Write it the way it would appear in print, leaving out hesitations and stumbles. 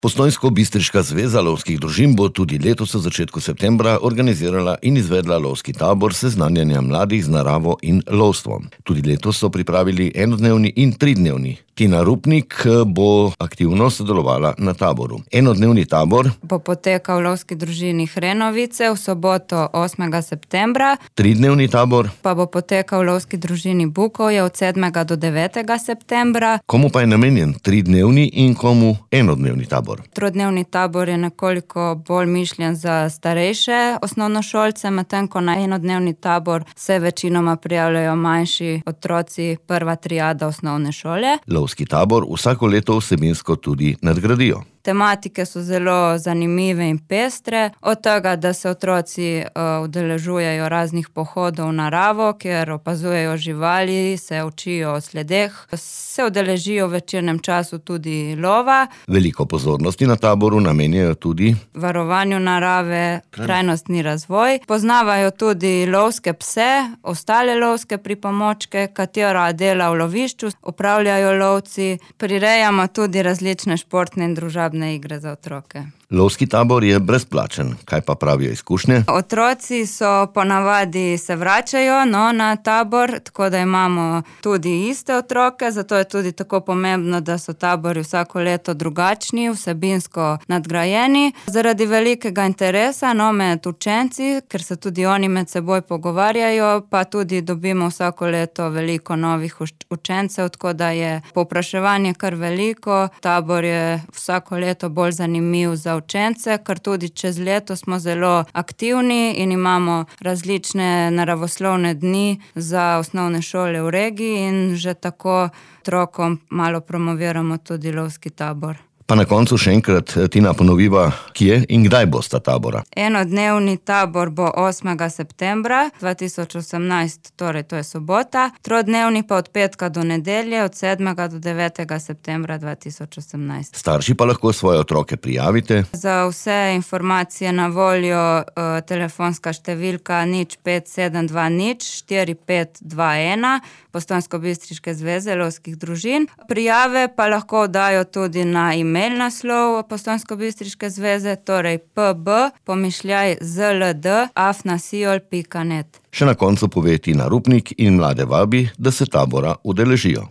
Postojnsko-bistriška zveza lovskih družin bo tudi letos v začetku septembra organizirala in izvedla lovski tabor seznanjanja mladih z naravo in lovstvom. Tudi letos so pripravili enodnevni in tridnevni. Tina Rupnik bo aktivno sodelovala na taboru. Enodnevni tabor bo potekal v lovski družini Hrenovice v soboto 8. septembra. Tridnevni tabor Pa bo potekal v lovski družini Bukovje od 7. do 9. septembra. Komu pa je namenjen tridnevni in komu enodnevni tabor? Tridnevni tabor je nekoliko bolj mišljen za starejše osnovnošolce, medtem ko na enodnevni tabor se večinoma prijavljajo manjši otroci, prva triada osnovne šole. Lovski tabor vsako leto vsebinsko tudi nadgradijo. Tematike so zelo zanimive in pestre, od tega, da se otroci udeležujejo raznih pohodov v naravo, kjer opazujejo živali, se učijo o sledeh, se udeležijo v večernem času tudi lova. Veliko pozornosti na taboru namenjajo tudi varovanju narave, trajnostni razvoj. Poznavajo tudi lovske pse, ostale lovske pripomočke, katera dela v lovišču opravljajo lovci. Prirejamo tudi različne športne in družabne igre za otroke. Lovski tabor je brezplačen. Kaj pa pravijo izkušnje? Otroci so ponavadi se vračajo na tabor, tako da imamo tudi iste otroke, zato je tudi tako pomembno, da so tabori vsako leto drugačni, vsebinsko nadgrajeni. Zaradi velikega interesa med učenci, ker se tudi oni med seboj pogovarjajo, pa tudi dobimo vsako leto veliko novih učencev, tako da je povpraševanje kar veliko. Tabor je vsako leto bolj zanimiv za učence, ker tudi čez leto smo zelo aktivni in imamo različne naravoslovne dni za osnovne šole v regiji in že tako otrokom malo promoviramo tudi lovski tabor. Pa na koncu še enkrat, Tina, ponoviva, kje in kdaj bosta tabora? Enodnevni tabor bo 8. septembra 2018, torej to je sobota, tridnevni pa od petka do nedelje od 7. do 9. septembra 2018. Starši pa lahko svoje otroke prijavite. Za vse informacije na voljo telefonska številka 0572 4521 Postojnsko-bistriške zveze lovskih družin. Prijave pa lahko dajo tudi na email naslov Postojnsko-bistriške zveze, torej pb@zld@siol.net. Še na koncu pove Tina Rupnik in mlade vabi, da se tabora udeležijo.